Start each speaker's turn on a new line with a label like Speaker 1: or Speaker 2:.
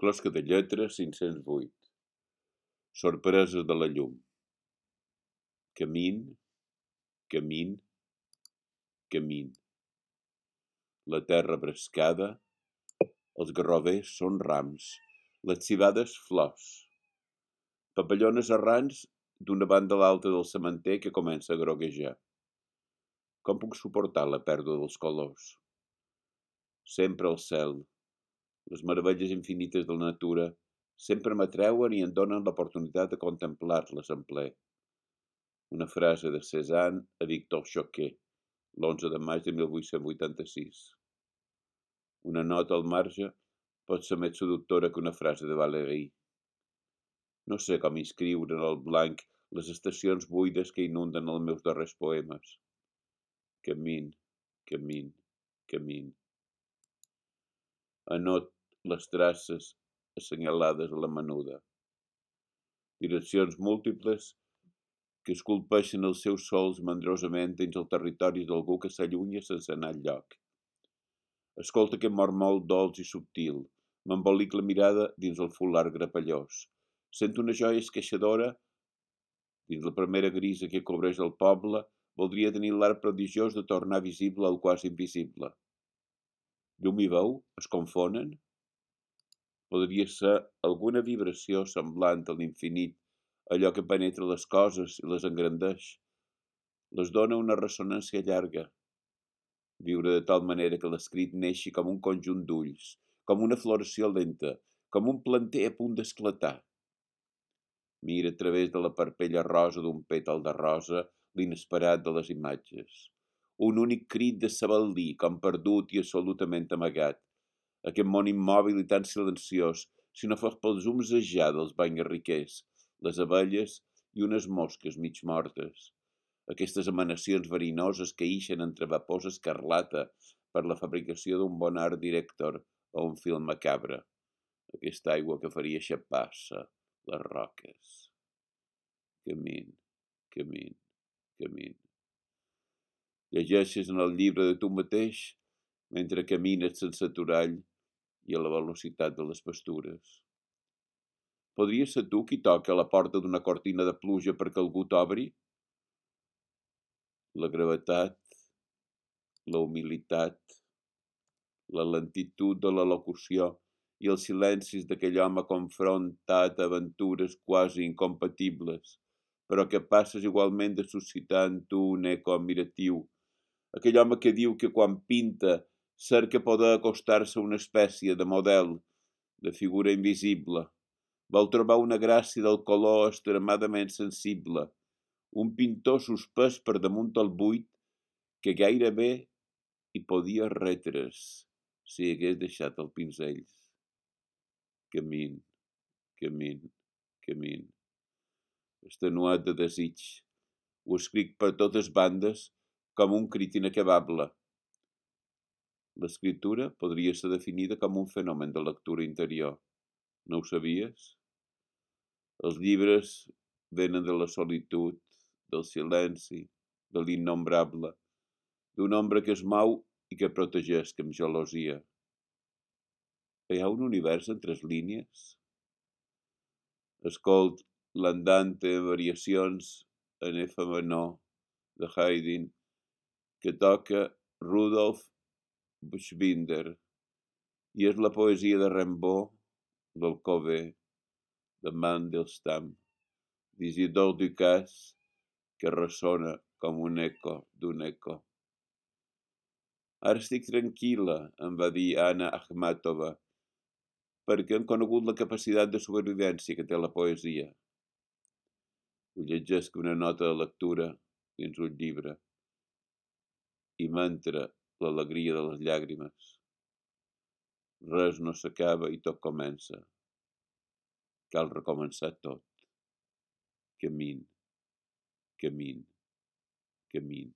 Speaker 1: Closca de lletra 508. Sorpreses de la llum. Camin, camin, camin. La terra brescada, els garrovers són rams, les civades flors. Papallones errants d'una banda a l'altra del sementer que comença a groguejar. Com puc suportar la pèrdua dels colors? Sempre al cel, les meravelles infinites de la natura, sempre m'atreuen i em donen l'oportunitat de contemplar-les en ple. Una frase de Cézanne a Victor Choquet, l'11 de maig de 1886. Una nota al marge pot ser més seductora que una frase de Valéry. No sé com inscriure en el blanc les estacions buides que inunden els meus darrers poemes. Camin, camin, camin. Anot les traces assenyalades a la menuda. Direccions múltiples que esculpeixen els seus sols mandrosament dins el territori d'algú que s'allunya sense anar enlloc. Escolta aquest mormol dolç i subtil, m'embolic la mirada dins el fular grapellós. Sento una joia esqueixadora dins la primera grisa que cobreix el poble, voldria tenir l'art prodigiós de tornar visible el quasi invisible. Llum i veu es confonen? Podria ser alguna vibració semblant a l'infinit, allò que penetra les coses i les engrandeix. Les dona una ressonància llarga. Viure de tal manera que l'escrit neixi com un conjunt d'ulls, com una floració lenta, com un planter a punt d'esclatar. Mira a través de la parpella rosa d'un pètal de rosa l'inesperat de les imatges. Un únic crit de sabel·lí, com perdut i absolutament amagat. Aquest món immòbil i tan silenciós, si no fos pels zumzejar dels banyarriquers, les abelles i unes mosques mig mortes. Aquestes emanacions verinoses que ixen entre vapors escarlata per la fabricació d'un bon art director o un film macabre. Aquesta aigua que faria xapar-se les roques. Camin, camin, camin. Llegeixes en el llibre de tu mateix mentre camines sense aturall i a la velocitat de les pastures. Podria ser tu qui toca a la porta d'una cortina de pluja perquè algú t'obri? La gravetat, la humilitat, la lentitud de la locució i els silencis d'aquell home confrontat a aventures quasi incompatibles, però capaces igualment de suscitar en tu un eco admiratiu. Aquell home que diu que quan pinta cerca poder acostar-se a una espècie de model, de figura invisible. Vol trobar una gràcia del color extremadament sensible, un pintor suspès per damunt el buit que gairebé hi podia retre's si hagués deixat el pinzell. Camin, camin, camin. Extenuat de desig, ho escric per totes bandes com un crit inacabable. L'escriptura podria ser definida com un fenomen de lectura interior. No ho sabies? Els llibres venen de la solitud, del silenci, de l'innombrable, d'un ombra que es mou i que protegeix amb gelosia. Hi ha un univers entre les línies? Escolt l'andante variacions en F menor de Haydn que toca Rudolf Buchbinder i és la poesia de Rimbaud, d'Alcover, de Mandelstam, d'Isidore Ducasse, que ressona com un eco d'un eco. Ara estic tranquil·la, em va dir Anna Akhmatova, perquè hem conegut la capacitat de supervivència que té la poesia. Ho llegesc una nota de lectura dins un llibre i m'entra l'alegria de les llàgrimes. Res no s'acaba i tot comença. Cal recomençar tot. Camin, camin, camin.